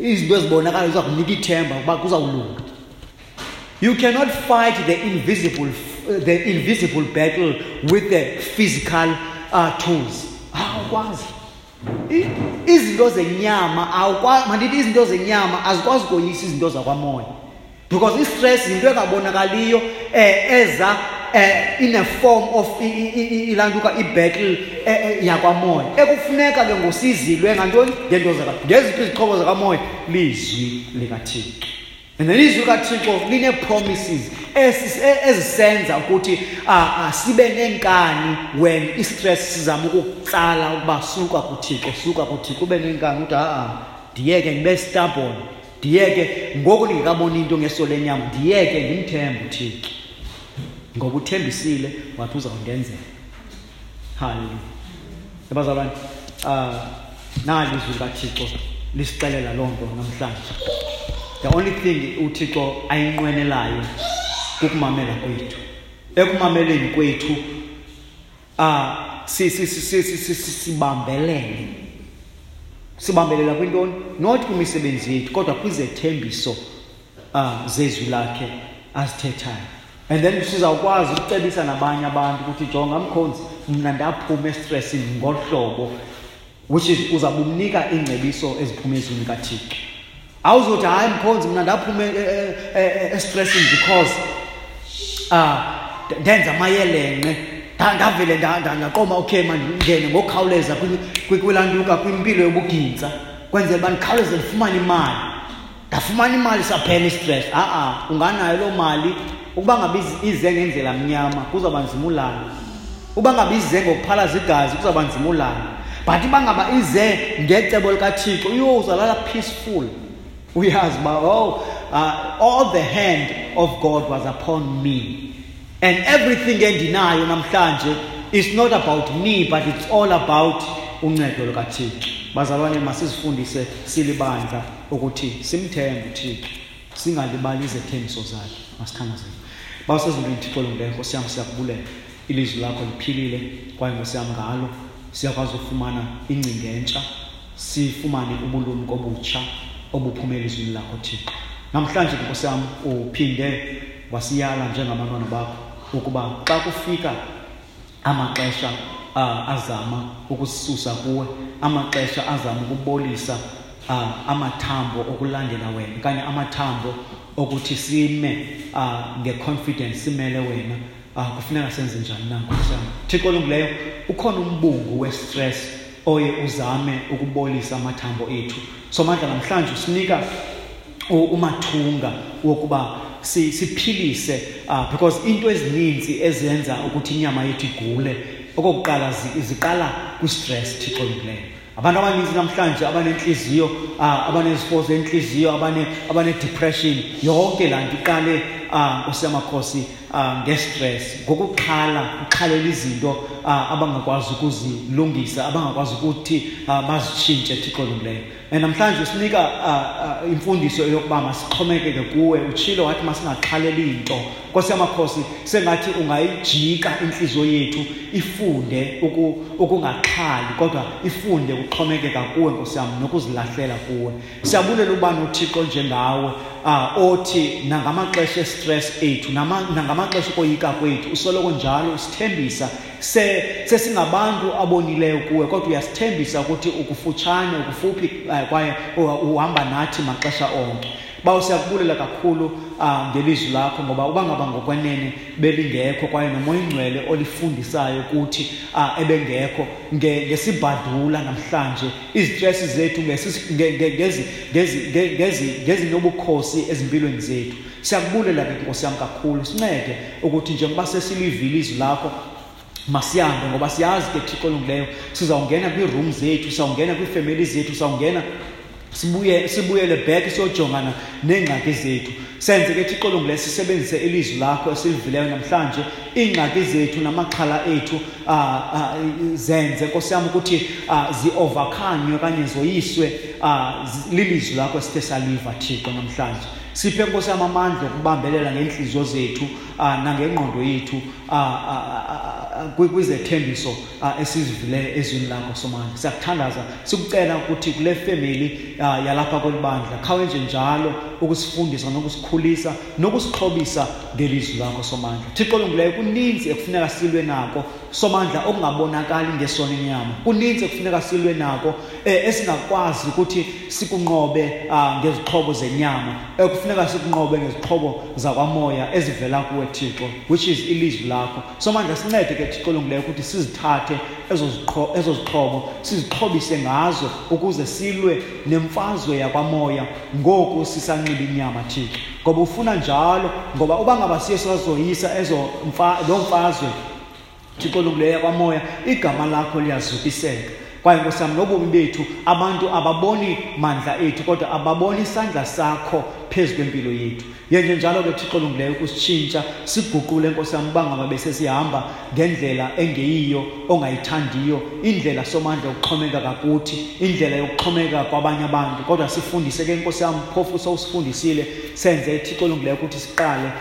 izinto ezibonakalayo ziza kunika ithemba ukuba kuzawulunga. You cannot fight the invisible battle with the physical tools. Awukwazi. Izinto zenyama awukwazi, mandithi izinto zenyama azikwazi ukoyisa izinto zakwamoya. Because i-stress yinto engabonakaliyo, eza in a form of ilantuka i-battle yakwamoya. Ekufuneka ke ngosizilwe ngantoni? Ngento zaka. Ngeziphi izixhobo zakamoya? Lizwi likaThixo. And then izwi likaThixo line-promises ezisenza ukuthi sibe nenkani when i-stress sizama ukukutsala ukuba suka kuThixo, suka kuThixo, ube nenkani uthi ha-a, ndiyeke ndibe stubborn, ndiyeke ngoku ndingekaboni into ngeso lenyama, ndiyeke ndimthembe uThixo ngoba uthembisile wathi uzawundenzela. Hallelujah. Ebazalwane, nali izwi likaThixo lisixelela loo nto namhlanje. The only thing uThixo ayinqwenelayo kukumamela kwethu. Ekumameleni kwethu, sibambelele. Sibambelela kwintoni? Not kwimisebenzi yethu, kodwa kwizethembiso zezwi lakhe azithethayo. And then sizawukwazi ukucebisa nabanye abantu ukuthi jonga mkhonzi, mna ndaphuma estressini ngolu hlobo, which is uzabumnika iingcebiso eziphuma ezwini likaThixo. Awuzothi hayi mkhonzi, mna ndaphuma estressini because ndenza amayelenqe, ndavele ndaqoma, okay mandingene ngokukhawuleza kwilantuka kwimpilo yobugintsa, kwenzela uba ndikhawuleze ndifumane imali. Ndafumana imali saphela istress. Ha-a, unganayo loo mali. Ukuba ngaba ize ngendlela mnyama kuzawuba nzima ulala. Ukuba ngaba ize ngokuphalaza igazi kuzawuba nzima ulala. But uba ngaba ize ngecebo likaThixo, uyo uzalala peaceful. Uyazi uba, oh, all the hand of God was upon me. And everything endinayo namhlanje is not about me, but it's all about uncedo lukaThixo. Bazalwane, masizifundise silibandla ukuthi simthembe uThixo, singalibali izethembiso zakhe. Masithandazeni. Bawusezulwini Thixo olungileyo, Nkosi yam, siyakubulela. Ilizwi lakho liphilile kwaye Nkosi yam ngalo siyakwazi ukufumana ingcinga entsha, sifumane ubulumko obutsha obuphuma elizwini lakho Thixo. Namhlanje Nkosi yam uphinde wasiyala njengabantwana bakho ukuba xa kufika amaxesha azama ukusisusa kuwe, amaxesha azama ukubolisa amathambo okulandela wena okanye amathambo okuthi sime ngeconfidence simele wena, kufuneka senze njani na Nkosi yam? Thixo olungileyo, ukhona umbungu we-stress oye uzame ukubolisa amathambo ethu. Somandla, namhlanje usinika umathunga wokuba siphilise, because into ezininzi ezenza ukuthi inyama yethu igule okokuqala ziqala kwi-stress. Thixo olungileyo, abantu abaninzi namhlanje abanentliziyo, abanezifo zentliziyo, abane-depression, yonke laa nto iqale, Nkosi yamakhosi, nge-stress, ngokuxhala, uxhalela izinto abangakwazi ukuzilungisa, abangakwazi ukuthi bazitshintshe. Thixo olungileyo, and namhlanje usinika imfundiso yokuba masixhomekeke kuwe. Utshilo wathi masingaxhaleli into. Nkosi yamakhosi, sengathi ungayijika intliziyo yethu ifunde ukungaxhali, kodwa ifunde ukuxhomekeka kuwe Nkosi yam, nokuzilahlela kuwe. Siyabulela uba noThixo njengawe Othi nangamaxesha estress ethu, nangamaxesha okoyika kwethu, usoloko njalo usithembisa. Sesingabantu abonileyo kuwe, kodwa uyasithembisa ukuthi ukufutshane, ukufuphi, kwaye uhamba nathi maxesha onke. Bawo, siyakubulela kakhulu ngelizwi lakho, ngoba uba ngaba ngokwenene belingekho kwaye noMoya oyiNgcwele olifundisayo kuthi ebengekho, ngesibhadula namhlanje izitresi zethu ngezinobukhosi ezimpilweni zethu. Siyakubulela ke Nkosi yam kakhulu, sincede ukuthi njengoba sesilivile izwi lakho masihambe, ngoba siyazi ke Thixo olungileyo sizawungena kwii-room zethu, sizawungena kwiifemeli zethu, sizawungena sibuyele back siyojongana neengxaki zethu. Senze ke Thixo olungileyo sisebenzise ilizwi lakho esilivileyo namhlanje, iingxaki zethu namaxhala ethu zenze Nkosi yam ukuthi zi-overcome okanye zoyiswe lilizwi lakho esithe saliva Thixo namhlanje. Siphe Nkosi yam amandla okubambelela ngeentliziyo zethu nangengqondo yethu kwizethembiso esizivileyo ezwini lakho Somandla. Siyakuthandaza sikucela ukuthi kule family yalapha kweli bandla khawenje njalo ukusifundisa nokusikhulisa nokusixhobisa ngelizwi lakho Somandla. Thixo olungileyo, kuninzi ekufuneka silwe nako Somandla okungabonakali ngesono enyama. Kuninzi ekufuneka silwe nako esingakwazi ukuthi sikunqobe ngezixhobo zenyama, ekufuneka sikunqobe ngezixhobo zakwamoya ezivela kuwe Thixo, which is ilizwi lakho Somandla. Sincede ke Thixo olungileyo ukuthi sizithathe ezo zixhobo sizixhobise ngazo ukuze silwe nemfazwe yakwamoya ngoku sisanxiba inyama Thixo, ngoba ufuna njalo, ngoba uba ngaba siye sazoyisa loo mfazwe Thixo olungileyo yakwamoya, igama lakho liyazukiseka. Kwaye Nkosi yam, nobomi bethu abantu ababoni mandla ethu, kodwa ababoni isandla sakho phezu kwempilo yethu. Yenje njalo ke Thixo olungileyo ukusitshintsha, siguqule Nkosi yam, uba ngaba besesihamba ngendlela engeyiyo ongayithandiyo, indlela Somandla yokuxhomekeka kuthi, indlela yokuxhomekeka kwabanye abantu, kodwa sifundise ke Nkosi yam, phofu sowusifundisile, senze Thixo olungileyo ukuthi siqale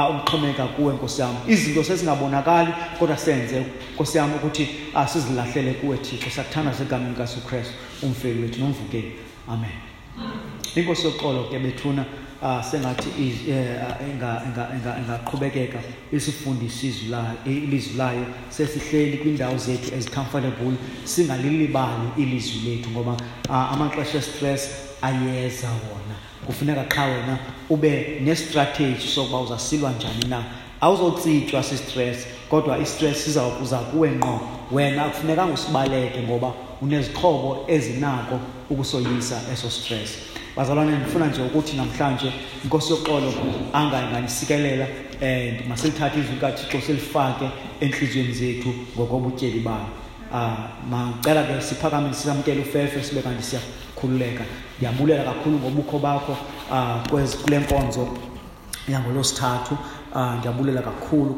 ukuxhomekeka kuwe Nkosi yam. Izinto sezingabonakali, kodwa senze Nkosi yam ukuthi sizilahlele kuwe Thixo. Siyakuthandaza egameni likaYesu Kristu, umfeli wethu nomvukeli. Amen. Inkosi yoxolo ke bethuna, sengathi ingaqhubekeka isifundise ilizwi layo. Sesihleli kwiindawo zethu ezi-comfortable, singalilibali ilizwi lethu, ngoba amaxesha e-stress ayeza wona. Kufuneka qha wena ube ne-strategy sokuba uzasilwa njani na. Awuzotsitywa si-stress, kodwa i-stress siza kuwe ngqo. Wena akufunekanga usibaleke, ngoba unezixhobo ezinako ukusoyisa eso stress. Bazalwane, ndifuna nje ukuthi namhlanje iNkosi yoxolo anganisikelela, and masilithathe izwi likaThixo silifake entliziyweni zethu ngokobutyebi bayo. Macela ke siphakame sisamkele ufefe, sibe kanti siyakhululeka. Ndiyabulela kakhulu ngobukho bakho kule nkonzo yangolwesithathu. Ndiyabulela kakhulu.